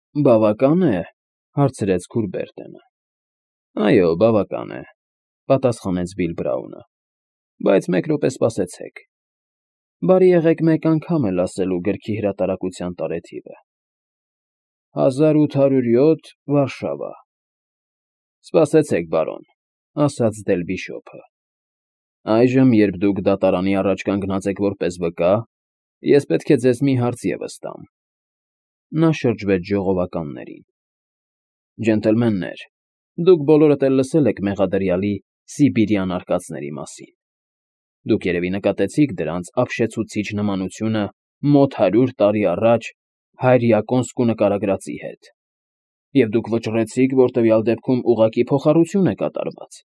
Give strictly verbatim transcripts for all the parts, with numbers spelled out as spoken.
Բավական է,֊ հարցրեց Քուրբերտը։ ֊ Այո, բավական է,֊ պատասխանեց Բիլ Բրաունը,֊ բայց մեկ րոպե սպասեցեք. բարի եղեք մեկ անգամ էլ ասելու գրքի հրատարակության տարեթիվը. հազար ութ հարյուր յոթ, Վարշավա։ ֊ Սպասեցեք, բարոն,֊ ասաց դել֊Բիշոպը,֊ այժմ, երբ դուք դատարանի առաջ կանգնած եք որպես վկա, ես պետք է ձեզ մի հարց ևս տամ… Նա շրջվեց ժողովականներին։ ֊ Ջենտլմեններ, դուք բոլորդ էլ լսել եք մեղադրյալի սիբիրյան արկածների մասին. դուք երևի նկատեցիք դրանց ապշեցուցիչ նմանությունը մոտ հարյուր տարի առաջ հայրիկի կոնսկու նկարագրածի հետ, և դուք վճռեցիք, որ տվյալ դեպքում ուղղակի փոխառություն է կատարված…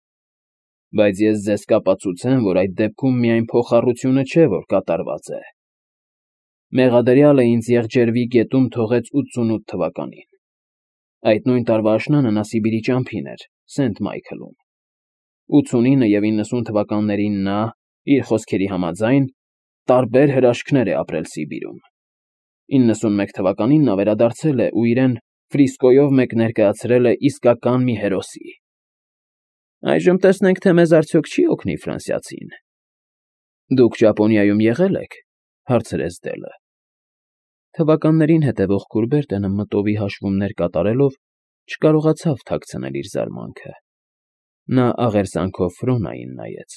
Բայց ես ձեզ կապացուցեմ, որ այդ դեպքում միայն փոխառությունը չէ, որ կատարված է. մեղադրյալը ինձ Եղջերվի գետում թողեց ութսունութ թվականին. այդ նույն տարվա աշնանը նա Սիբիրի ճամփին էր, Սենթ Մայքլում. ութսունինը և իննսուն թվականներին նա, իր խոսքերի համաձայն, տարբեր հրաշքներ է ապրել Սիբիրում. իննսունմեկ թվականին նա վերադարձել է ու իրեն Ֆրիսկոյով մեկ ներկայացրել է իսկական մի հերոսի… Այժմ տեսնենք, թե մեզ արդյոք չի օգնի ֆրանսիացին… ֊ Դուք Ճապոնիայում եղե՞լ եք,֊ հարցրեց Դելը։ Թվականներին հետևող Քուրբերտը մտովի հաշվումներ կատարելով չկարողացավ թաքցնել իր զարմանքը։ Նա աղերսանքով Ֆրոնային նայեց,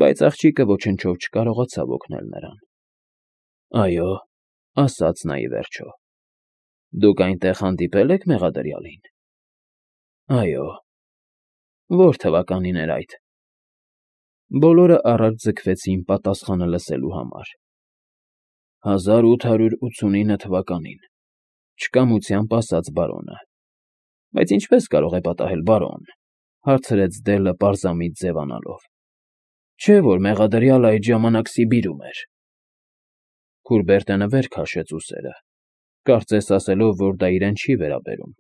բայց աղջիկը ոչնչով չկարողացավ օգնել նրան։ ֊ Այո,֊ ասաց նա ի վերջո,֊ դուք այնտեղ հանդիպե՞լ եք մեղադրյալին։ ֊ Այո։ ֊ Ո՞ր թվականին էր այդ։ Բոլորը առաջ ձգվեցին պատասխանը լսելու համար։ ֊ Հազար ութ հարյուր ութսունինը թվականին,֊ չկամությամբ ասաց բարոնը։ ֊ Բայց ինչպե՞ս կարող է պատահել, բարոն,֊ հարցրեց Դելը պարզամիտ ձևանալով,֊ չէ՞ որ մեղադրյալն այդ ժամանակ Սիբիրում էր… Քուրբերտը վեր քաշեց ուսերը, կարծես ասելով, որ դա իրեն չի վերաբերում,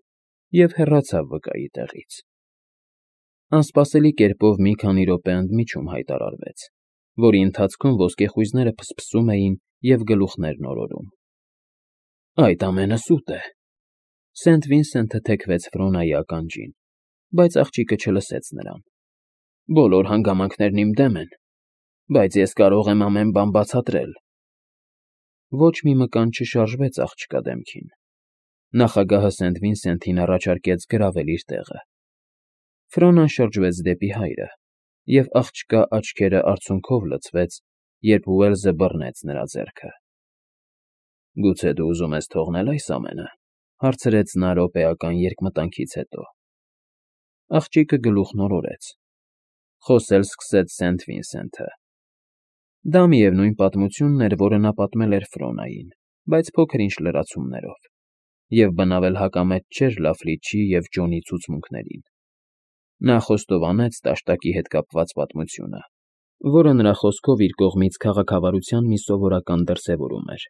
և հեռացավ վկայի տեղից։ Անսպասելի կերպով մի քանի րոպե ընդմիջում հայտարարվեց, որի ընթացքում ոսկեխույզները փսփսում էին և գլուխներն օրորում։ ֊ Այդ ամենը սուտ է,֊ Սենթ Վինսենթը թեքվեց Ֆրոնայի ականջին, բայց աղջիկը չլսեց նրան։ ֊ Բոլոր հանգամանքներն իմ դեմ են, բայց ես կարող եմ ամեն բան բացատրել… Ոչ մի մկան չշարժվեց աղջկա դեմքին։ Նախագահը Սենթ Վինսենթին առաջարկեց գրավել իր տեղը։ Ֆրոնան շրջվեց դեպի հայրը, և աղջկա աչքերը արցունքով լցվեց, երբ Ուելսը բռնեց նրա ձեռքը։ ֊ Գուցե դու ուզում ես թողնե՞լ այս ամենը,֊ հարցրեց նա րոպեական երկմտանքից հետո։ Աղջիկը գլուխն օրորեց։ Խոսել սկսեց Սենթ Վինսենթը. Դա միևնույն պատմությունն էր, որը նա պատմել էր Ֆրոնային, բայց փոքր-ինչ լրացումներով, և բնավ էլ հակամետ չէր Լաֆլիչի և Ջոնի ցուցմունքներին։ Նա խոստովանեց տաշտակի հետ կապված պատմությունը, որը նրա խոսքով իր կողմից քաղաքավարության մի սովորական դրսևորում էր,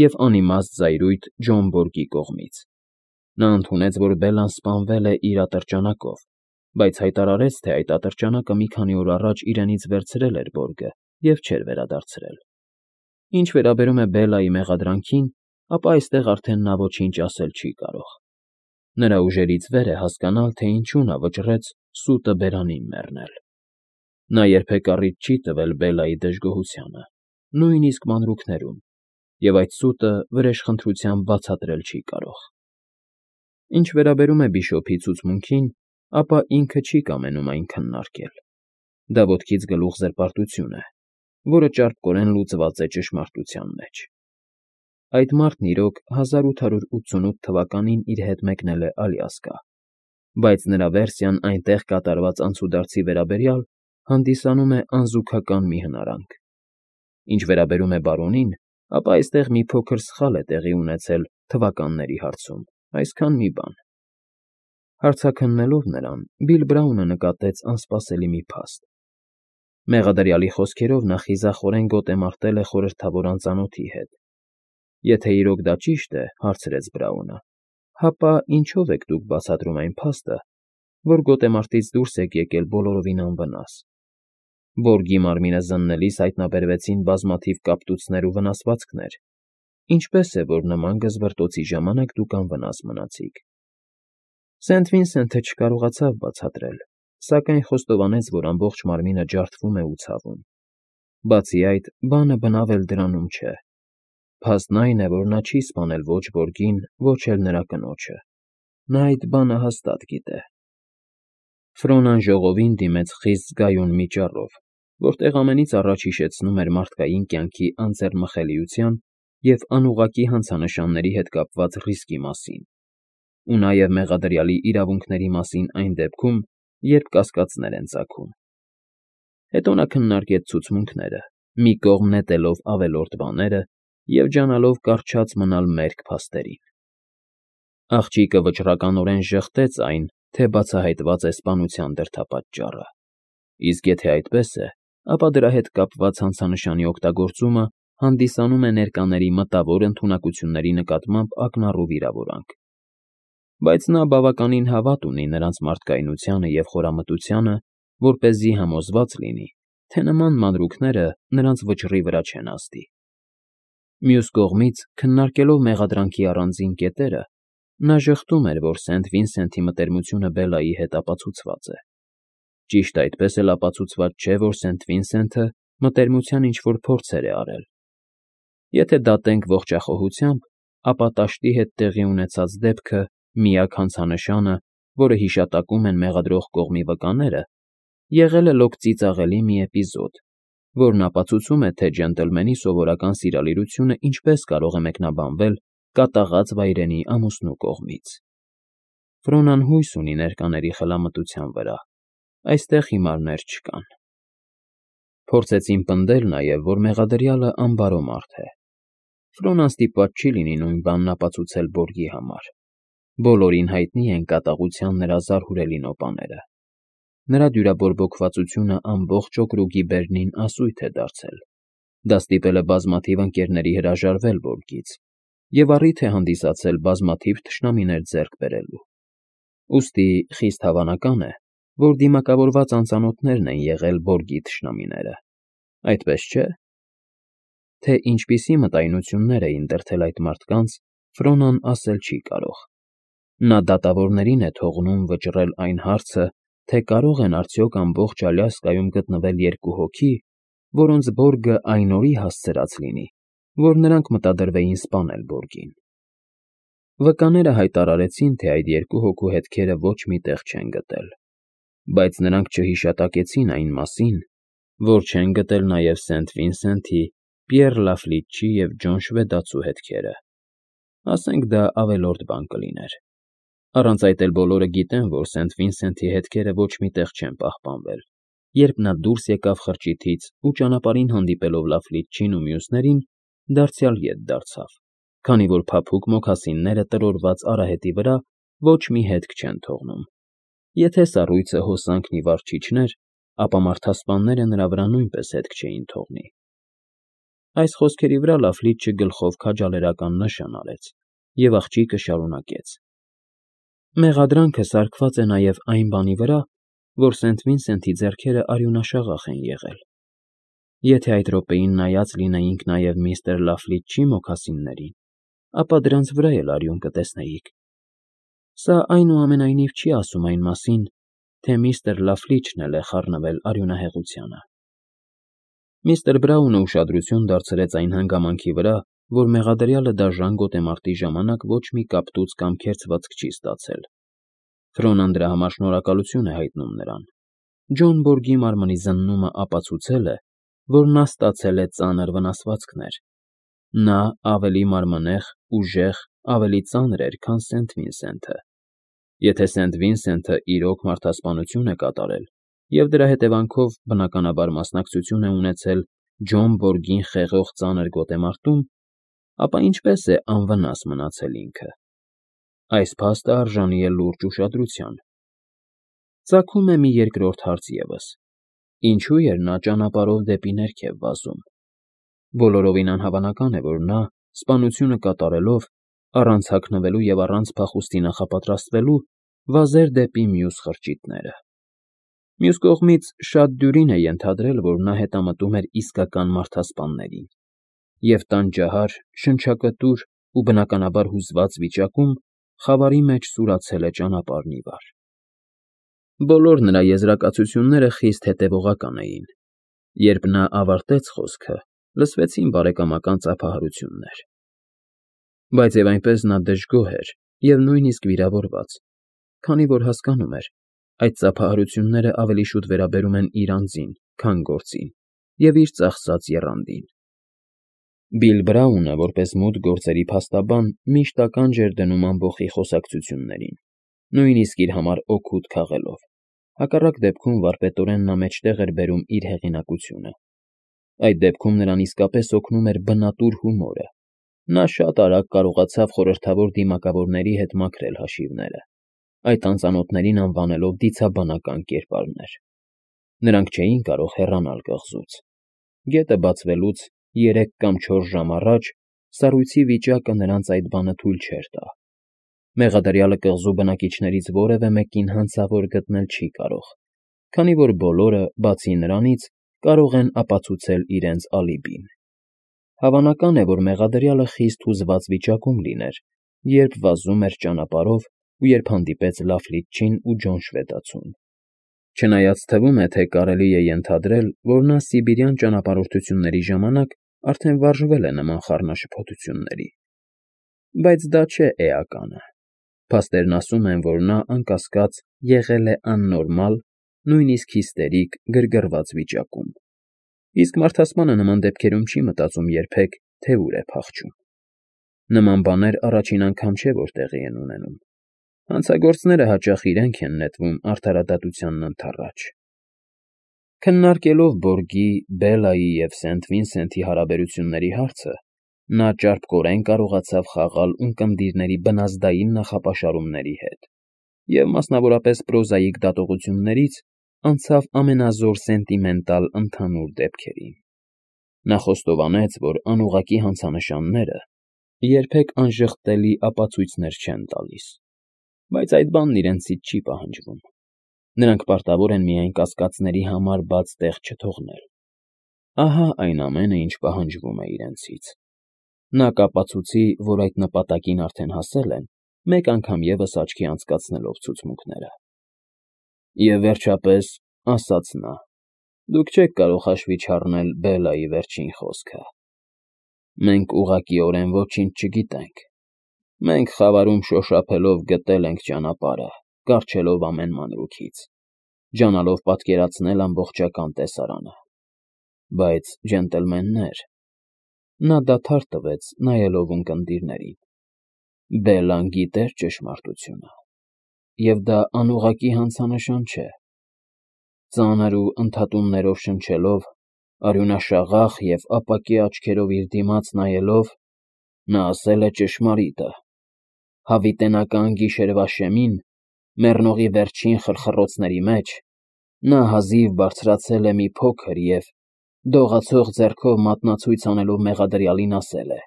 և անիմաստ զայրույթ Ջոն Բորգի կողմից։ Նա ընդունեց, որ Բելլան սպանվել է իր ատրճանակով, բայց հայտարարեց, թե այդ ատրճանակը մի քանի օր առաջ իրենից վերցրել էր Բորգը և չէր վերադարձրել։ Ինչ վերաբերում է Բելլայի մեղադրանքին, ապա այստեղ արդեն նա ոչինչ ասել չի կարող։ Նրա ուժերից վեր է հասկանալ, թե ինչու նա վճռեց սուտը բերանին մեռնել։ Նա երբեք առիթ չի տվել Բելլայի դժգոհությանը, նույնիսկ մանրուքներում, և այդ սուտը վրեժխնդրությամբ բացատրել չի կարող։ Ինչ վերաբերում է բիշոպի ցուցմունքին, ապա ինքը չի կամենում այն քննարկել։ Դա ոտքից գլուխ զրպարտություն է, որը ճարպկորեն լուծված է ճշմարտության մեջ։ Այդ մարդն, իրոք, հազար ութ հարյուր ութսունութ թվականին իր հետ մեկնել է Ալյասկա, բայց նրա վերսիան այնտեղ կատարված անցուդարձի վերաբերյալ հանդիսանում է անզուգական մի հնարանք։ Ինչ վերաբերում է բարոնին, ապա այստեղ մի փոքր սխալ է տեղի ունեցել թվականների հարցում, այսքան մի բան։ Հարցաքննելով նրան, Բիլ Բրաունը նկատեց անսպասելի մի փաստ։ Մեղադրյալի խոսքերով նա խիզախորեն գոտեմարտել է խորհրդավոր անծանոթի հետ։ Եթե իրոք դա ճիշտ է, հարցրեց Բրաունը, հապա ինչո՞վ եք դուք բացատրում այն փաստը, որ գոտեմարտից դուրս եք եկել բոլորովին անվնաս։ Բորգի մարմինը զննելիս հայտնաբերվեցին բազմաթիվ կապտուцներ ու վնասվածքներ, ինչպես է, որ նման գզվռտոցի ժամանակ դուք անվնաս մնացիք։ Սենթ Վինսենթը չկարողացավ բացատրել, սակայն խոստովանեց, որ ամբողջ մարմինը ջարդվում է ու ցավում։ Բացի այդ, բանը բնավ էլ դրանում չէ։ Փաստն այն է, որ նա չի սպանել ոչ Բորգին, ոչ էլ նրա կնոջը։ Նա այդ բանը հաստատ գիտե։ Ֆրոնան ժողովին դիմեց խիստ զգայուն մի ճառով, որտեղ ամենից առաջ հիշեցնում էր մարդկային կյանքի անձեռնմխելիության և անուղղակի հանցանշանների հետ կապված ռիսկի մասին, ու նաև մեղադրյալի իրավունքների մասին այն դեպքում, երբ կասկածներ են ծագում։ Հետո նա քննարկեց ցուցմունքները, մի կողմ նետելով ավելորդ բաները և ջանալով կառչած մնալ մերկ փաստերին։ Աղջիկը վճռականորեն ժխտեց այն, թե բացահայտված է սպանության դրդապատճառը, իսկ եթե այդպես է, ապա դրա հետ կապված հանցանշանի օգտագործումը հանդիսանում է ներկաների մտավոր ընդունակությունների նկատմամբ ակնառու վիրավորանք։ Բայց նա բավականին հավատ ունի նրանց մարդկայնությանը և խորամտությանը, որպեսզի համոզված լինի, թե նման մանրուքները նրանց վճռի վրա չեն ազդի։ Մյուս կողմից, քննարկելով մեղադրանքի առանձին կետերը, նա ժխտում էր, որ Սենթ Վինսենթի մտերմությունը Բելլայի հետ ապացուցված է։ Ճիշտ այդպես էլ ապացուցված չէ, որ Սենթ Վինսենթը մտերմության ինչ-որ փորձեր է արել։ Եթե դատենք ողջախոհությամբ, ապա տաշտի հետ տեղի ունեցած դեպքը, միակ հանցանշանը, որը հիշատակում են մեղադրող կողմի վկաները, եղել է լոկ ծիծաղելի մի էպիզոդ, որն ապացուցում է, թե ջենտլմենի սովորական սիրալիրությունը ինչպես կարող է մեկնաբանվել կատաղած վայրենի ամուսնու կողմից։ Ֆրոնան հույս ունի ներկաների խելամտության վրա, այստեղ հիմարներ չկան։ Փորձեցին պնդել նաև, որ մեղադրյալը անբարո մարդ է։ Ֆրոնան ստիպված չի լինի նույն բանն ապացուցել Բորգի համար։ Բոլորին հայտնի են կատաղության նրա զարհուրելի նոպաները։ Նրա դյուրաբորբոքվածությունը ամբողջ օկրուգի բերնին ասույթ է դարձել։ Դա ստիպել է բազմաթիվ ընկերների հրաժարվել Բորգից և առիթ է հանդիսացել բազմաթիվ թշնամիներ ձեռք բերելու։ Ուստի խիստ հավանական է, որ դիմակավորված անծանոթներն են եղել Բորգի թշնամիները, այդպես չէ՞։ Թե ինչպիսի մտայնություններ էին դրդել այդ մարդկանց, Ֆրոնան ասել չի կարող։ Նա դատավորներին է թողնում վճռել այն հարցը, թե կարող են արդյոք ամբողջ Ալյասկայում գտնվել երկու հոգի, որոնց Բորգը այն օրի հասցրած լինի, որ նրանք մտադրվեին սպանել Բորգին։ Վկաները հայտարարեցին, թե այդ երկու հոգու հետքերը ոչ մի տեղ չեն գտել, բայց նրանք չհիշատակեցին այն մասին, որ չեն գտել նաև Սենթ Վինսենթի, Պիեռ Լաֆլիճի և Ջոն Շվեդացու հետքերը։ Ասենք դա ավելորդ բան կլիներ։ Առանց այդ էլ բոլորը գիտեն, որ Սենթ Վինսենթի հետքերը ոչ մի տեղ չեն պահպանվել, երբ նա դուրս եկավ խրճիթից ու ճանապարհին հանդիպելով Լաֆլիճին ու մյուսներին, դարձյալ ետ դարձավ, քանի որ փափուկ մոքասինները տրորված արահետի վրա ոչ մի հետք չեն թողնում։ Եթե սառույցը հոսանքն ի վար չիջներ, ապա մարդասպանները նրա վրա նույնպես հետք չէին թողնի։ Այս խոսքերի վրա Լաֆլիճը գլխով քաջալերական նշան արեց, և աղջիկը շարունակեց. Մեղադրանքը սարքված է նաև այն բանի վրա, որ Սենթ Վինսենթի ձեռքերը արյունաշաղախ են եղել։ Եթե այդ րոպեին նայած լինեինք նաև միստր Լաֆլիճի մոքասիններին, ապա դրանց վրա էլ արյուն կտեսնեիք։ Սա այնուամենայնիվ չի ասում այն մասին, թե միստր Լաֆլիճն էլ է խառնվել արյունահեղությանը։ Միստր Բրաունը ուշադրություն դարձրեց այն հանգամանքի վրա, որ մեղադրյալը դաժան գոտեմարտի ժամանակ ոչ մի կապտուց կամ քերծվածք չի ստացել։ Ֆրոնան դրա համար շնորհակալություն է հայտնում նրան։ Ջոն Բորգի մարմնի զննումը ապացուցել է, որ նա ստացել է ծանր վնասվածքներ։ Նա ավելի մարմնեղ, ուժեղ, ավելի ծանր էր, քան Սենթ Վինսենթը։ Եթե Սենթ Վինսենթը իրոք մարդասպանություն է կատարել և դրա հետևանքով բնականաբար մասնակցություն է ունեցել Ջոն Բորգին խեղող ծանր գոտեմարտում, ապա ինչպես է անվնաս մնացել ինքը։ Այս փաստը արժանի է լուրջ ուշադրության։ Ծագում է մի երկրորդ հարց ևս. ինչու էր նա ճանապարհով դեպի ներքև վազում։ Բոլորովին անհավանական է, որ նա, սպանությունը կատարելով, առանց հագնվելու և առանց փախուստի նախապատրաստվելու, վազեր դեպի մյուս խրճիթները։ Մյուս կողմից, շատ դյուրին է ենթադրել, որ նա հետամտում էր իսկական մարդասպաններին։ և տանջահար, շնչակտուր ու բնականաբար հուզված վիճակում խավարի մեջ սուրացել է ճանապարհն ի վար։ Բոլոր նրա եզրակացությունները խիստ հետևողական էին. երբ նա ավարտեց խոսքը, լսվեցին բարեկամական ծափահարություններ։ Բայց և այնպես նա դժգոհ էր և նույնիսկ վիրավորված, քանի որ հասկանում էր, այդ ծափահարությունները ավելի շուտ վերաբերում են իր անձին, քան գործին և իր ծախսած եռանդին։ Բիլ Բրաունը, որպես մութ գործերի փաստաբան, միշտ ականջ էր դնում ամբոխի խոսակցություններին, նույնիսկ իր համար օգուտ քաղելով, հակառակ դեպքում վարպետորեն նա մեջտեղ էր բերում իր հեղինակությունը։ Այդ դեպքում նրան իսկապես օգնում էր բնատուր հումորը, նա շատ արագ կարողացավ խորհրդավոր դիմակավորների հետ մաքրել հաշիվները, այդ անծանոթներին անվանելով դիցաբանական կերպարներ։ Նրանք չէին կարող հեռանալ կղզուց։ Գետը բացվելուց երեք կամ չորս ժամ առաջ սառույցի վիճակը նրանց այդ բանը թույլ չէր տա։ Մեղադրյալը կղզու բնակիչներից որևէ մեկին հանցավոր գտնել չի կարող, քանի որ բոլորը, բացի նրանից, կարող են ապացուցել իրենց ալիբին։ Հավանական է, որ մեղադրյալը խիստ հուզված վիճակում լիներ, երբ վազում էր ճանապարհով ու երբ հանդիպեց Լաֆլիտչին ու Ջոն Շվեդացուն։ Չնայած թվում է, թե կարելի է ենթադրել, որ նա սիբիրյան ճանապարհորդությունների ժամանակ արդեն վարժվել է նման խառնաշփոթությունների։ Բայց դա չէ էականը։ Փաստերն ասում են, որ նա, անկասկած, եղել է աննորմալ, նույնիսկ հիստերիկ, գրգռված վիճակում։ Իսկ մարդասպանը նման դեպքերում չի մտածում երբեք, թե ուր է փախչում։ Նման բաներ առաջին անգամ չէ, որ տեղի են ունենում։ Հանցագործները հաճախ իրենք են նետվում արդարադատությանն ընդառաջ։ Քննարկելով Բորգի, Բելայի և Սենթ Վինսենթի հարաբերությունների հարցը, նա ճարպկորեն կարողացավ խաղալ ունկնդիրների բնազդային նախապաշարումների հետ և, մասնավորապես պրոզայիկ դատողություններից, անցավ ամենազոր սենտիմենտալ ընդհանուր դեպքերին։ Նա խոստովանեց, որ անուղղակի հանցանշանները երբեք անժխտելի ապացույցներ չեն տալիս, բայց այդ բանն իրենցից չի պահանջվում։ Նրանք պարտավոր են միայն կասկածների համար բաց տեղ չթողնել։ Ահա այն ամենը, ինչ պահանջվում է իրենցից։ Նա կապացուցի, որ այդ նպատակին արդեն հասել են, մեկ անգամ ևս աչքի անցկացնելով ցուցմունքները։ Եվ վերջապես, ասաց նա, դուք չեք կարող հաշվի չառնել Բելայի վերջին խոսքը. «Մենք ուղղակիորեն ոչինչ չգիտենք։ Մենք խավարում շոշափելով գտել ենք ճանապարհը, կառչելով ամեն մանրուքից, ջանալով պատկերացնել ամբողջական տեսարանը։ Բայց, ջենտլմեններ…» Նա դադար տվեց, նայելով ունկնդիրներին։ «Բելլան գիտեր ճշմարտությունը, և դա անուղղակի հանցանշան չէ։ Ծանր ու ընդհատումներով շնչելով, արյունաշաղախ և ապակե աչքերով իր դիմաց նայելով, նա ասել է ճշմարիտը. հավիտենական գիշերվա շեմին, մեռնողի վերջին խրխռոցների մեջ, նա հազիվ բարձրացել է մի փոքր և, դողացող ձեռքով մատնացույց անելով մեղադրյալին, ասել է.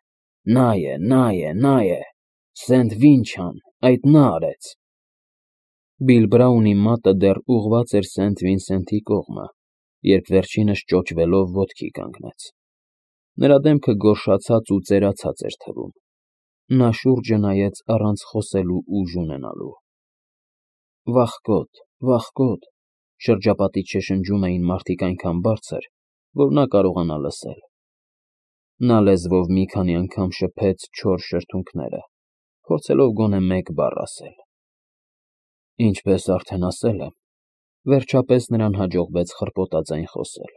«Նա է, նա է, նա է, Սենթ Վինչան, այդ նա արեց»։ Բիլ Բրաունի մատը դեռ ուղղված էր Սենթ Վինսենթի կողմը, երբ վերջինս ճոճվելով ոտքի կանգնեց։ Նրա դեմքը գորշացած ու ծերացած էր թվում։ Նա շուրջը նայեց առանց խոսելու ուժ ունենալու։ «Վախկոտ, վախկոտ», շրջապատից շշնջում էին մարդիկ այնքան բարձր, որ նա կարողանա լսել։ Նա լեզվով մի քանի անգամ շփեց չոր շրթունքները, փորձելով գոնե մեկ բառ ասել։ Ինչպես արդեն ասել եմ, վերջապես նրան հաջողվեց խրպոտաձայն խոսել.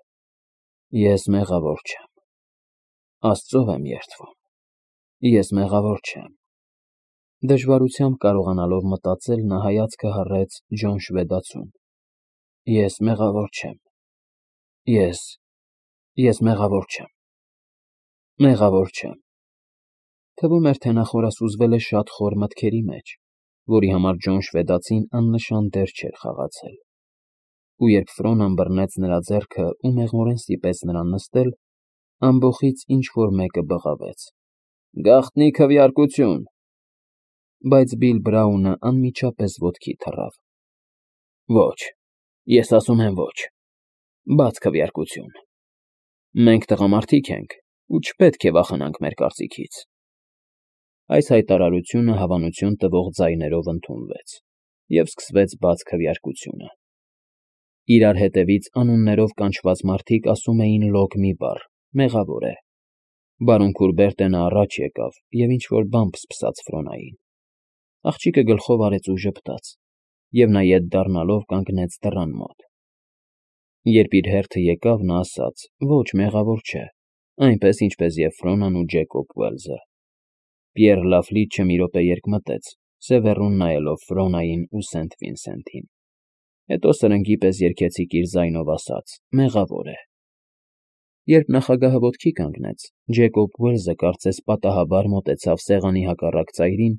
«Ես մեղավոր չեմ։ Աստծով եմ երդվում, ես մեղավոր չեմ»։ Դժվարությամբ կարողանալով մտածել, նա հայացքը հառեց Ջոն Շվեդացուն։ «Ես մեղավոր չեմ։ Ես… ես մեղավոր չեմ… մեղավոր չեմ»։ Թվում էր, թե նա խորասուզվել է շատ խոր մտքերի մեջ, որի համար Ջոն Շվեդացին աննշան դեր չէր խաղացել։ Ու երբ Ֆրոնան բռնեց նրա ձեռքը ու մեղմորեն ստիպեց նրան նստել, ամբոխից ինչ֊որ մեկը բղավեց. «Գաղտնի քվեարկություն»։ Բայց Բիլ Բրաունը անմիջապես ոտքի թռավ։ «Ոչ, ես ասում եմ ոչ, բաց քվեարկություն։ Մենք տղամարդիկ ենք, ու չպետք է վախենանք մեր կարծիքից։ Այս հայտարարությունը հավանություն տվող ձայներով ընդունվեց, և սկսվեց բաց քվեարկությունը։ Իրար հետևից անուններով կանչված մարդիկ ասում էին լոկ մի բառ, մեղավոր է։ Բարոն Քուրբերտենը առաջ եկավ և ինչ֊որ բան փսփսաց Ֆրոնային։ Աղջիկը գլխով արեց ու ժպտաց, և նա ետ դառնալով կանգնեց դռան մոտ։ Երբ իր հերթը եկավ, նա ասաց. «Ոչ, մեղավոր չէ, այնպես, ինչպես և Ֆրոնան ու Ջեկոբ Ուելզը»։ Պիեռ Լաֆլիչը մի րոպե երկմտեց, սևեռուն նայելով Ֆրոնային ու Սենթ Վինսենթին։ Հետո սրընգի պես երգեցիկ իր ձայնով ասաց. «Մեղավոր է»։ Երբ նախագահը ոտքի կանգնեց, Ջեկոբ Ուելզը կարծես պատահաբար մոտեցավ սեղանի հակառակ ծայրին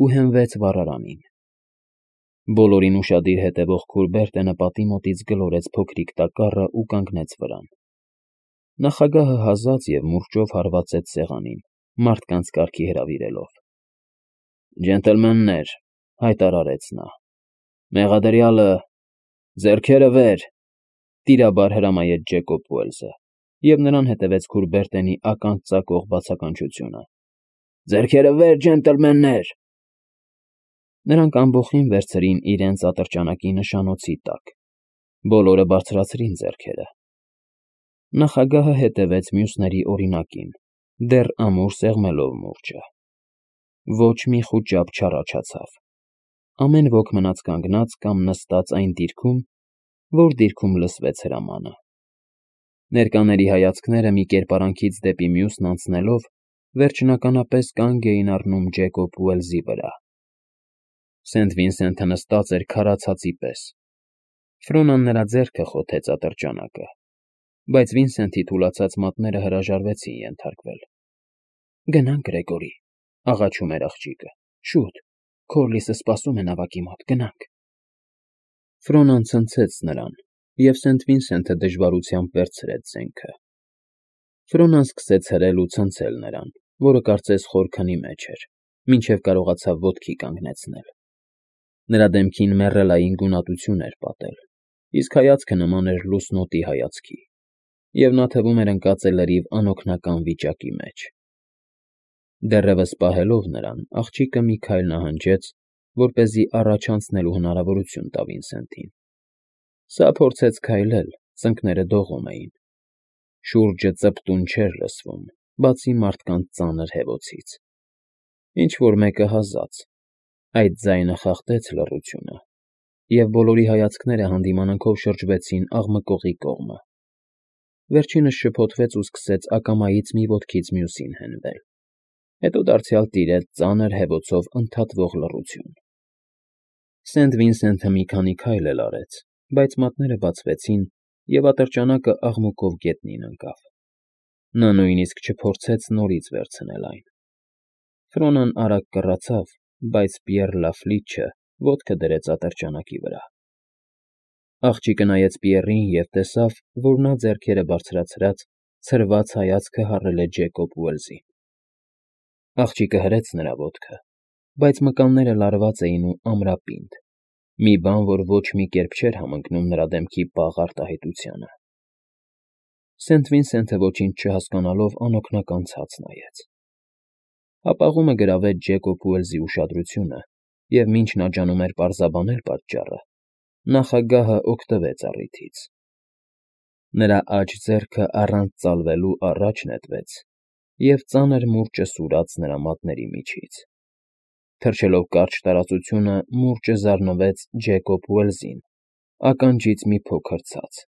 ու հենվեց վառարանին։ Բոլորին ուշադիր հետևող Քուրբերտենը պատի մոտից գլորեց փոքրիկ տակառը ու կանգնեց վրան։ Նախագահը հազաց և մուրճով հարվածեց սեղանին, մարդկանց կարգի հրավիրելով։ «Ջենտլմեններ», հայտարարեց նա, «մեղադրյալը… ձեռքերը վեր», տիրաբար հրամայեց Ջեկոբ Ուելզը, և նրան հետևեց Քուրբերտենի ականջ ծակող բացականչությունը. «Ձեռքերը վեր, ջենտլմեններ»։ Նրանք ամբոխին վերցրին իրենց ատրճանակի նշանոցի տակ, բոլորը բարձրացրին ձեռքերը։ Նախագահը հետևեց մյուսների օրինակին, դեռ ամուր սեղմելով մուրճը։ Ոչ մի խուճապ չառաջացավ։ Ամեն ոք մնաց կանգնած կամ նստած այն դիրքում, որ դիրքում լսվեց հրամանը։ Ներկաների հայացքները մի կերպարանքից դեպի մյուսն անցնելով, վերջնականապես կանգ էին առնում Ջեկոբ Ուելզի վրա։ Սենթ Վինսենթը նստած էր քարացածի պես։ Ֆրոնան նրա ձեռքը խոթեց ատրճանակը, բայց Վինսենթի թուլացած մատները հրաժարվեցին ենթարկվել։ «Գնանք, Գրեգորի», աղաչում էր աղջիկը, «շուտ, Քորլիսը սպասում է նավակի մոտ, գնանք»։ Ֆրոնան ցնցեց նրան, և Սենթ Վինսենթը դժվարությամբ վերցրեց զենքը։ Ֆրոնան սկսեց հրել ու ցնցել նրան, որը կարծես խոր քնի մեջ էր, մինչև կարողացավ ոտքի կանգնեցնել։ Նրա դեմքին մեռելային գունատություն էր պատել, իսկ հայացքը նման էր լուսնոտի հայացքի, և նա թվում էր ընկած է լրիվ անօգնական վիճակի մեջ։ Դեռևս պահելով նրան, աղջիկը մի քայլ նահանջեց, որպեսզի առաջ անցնելու հնարավորություն տա Վինսենթին։ Սա փորձեց քայլել, ծնկները դողում էին։ Շուրջը ծպտուն չէր լսվում, բացի մարդկանց ծանր հևոցից։ Ինչ֊որ մեկը հազաց։ Այդ ձայնը խախտեց լռությունը, և բոլորի հայացքները հանդիմանանքով շրջվեցին աղմկողի կողմը։ Վերջինս շփոթվեց ու սկսեց ակամայից մի ոտքից մյուսին հենվել, հետո դարձյալ տիրեց ծանր հևոցով ընդհատվող լռություն։ Սենթ Վինսենթը մի քանի քայլ էլ արեց, բայց մատները բացվեցին, և ատրճանակը աղմուկով գետնին ընկավ։ Նա նույնիսկ չփորձեց նորից վերցնել այն։ Ֆրոնան արագ կռացավ, բայց Պիեռ Լաֆլիչը ոտքը դրեց ատրճանակի վրա։ Աղջիկը նայեց Պիեռին և տեսավ, որ նա ձեռքերը բարձրացրած, ցրված հայացքը հառել է Ջեկոբ Ուելզին։ Աղջիկը հրեց նրա ոտքը, բայց մկանները լարված էին ու ամրապինդ, մի բան, որ ոչ մի կերպ չէր համընկնում նրա դեմքի պաղ արտահայտությանը։ Սենթ Վինսենթը ոչինչ չհասկանալով անօգնական ցած նայեց։ Հապաղումը գրավեց Ջեկոբ Ուելզի ուշադրությունը, և մինչ նա ջանում էր պարզաբանել պատճառը, նախագահը օգտվեց առիթից։ Նրա աջ ձեռքը առանց ծալվելու առաջ նետվեց և ծանր մուրճը սուրաց նրա մատների միջից։ Թռչելով կարճ տարածությունը, մուրճը զարնվեց Ջեկոբ Ուելզին, ականջից մի փոքր ցած։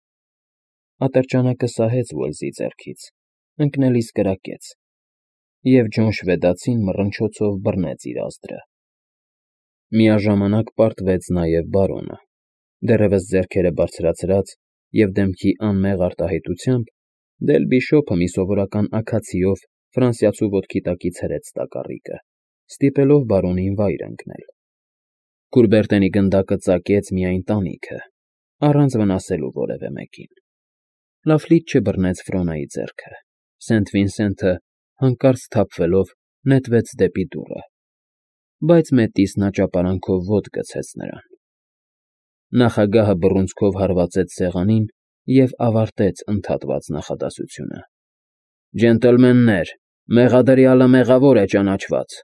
Ատրճանակը սահեց Ուելզի ձեռքից, ընկնելիս կրակեց, և Ջոն շվեդացին մռնչոցով բռնեց իր ազդրը։ Միաժամանակ պարտվեց նաև բարոնը, դեռևս ձեռքերը բարձրացրած և դեմքի անմեղ արտահայտությամբ, դել Բիշոպը մի սովորական աքացիով ֆրանսիացու ոտքի տակից հրեց տակառիկը, ստիպելով բարոնին վայր ընկնել։ Քուրբերտենի գնդակը ծակեց միայն տանիքը, առանց վնասելու որևէ մեկին։ Լաֆլիչը բռնեց Ֆրոնայի ձեռքը։ Սենթ Վինսենթը, հանկարծ սթափվելով, նետվեց դեպի դուռը, բայց մետիսն աճապարանքով ոտ գցեց նրան։ Նախագահը բռունցքով հարվածեց սեղանին և ավարտեց ընդհատված նախադասությունը։ Ջենտլմեններ, մեղադրյալը մեղավոր է ճանաչված։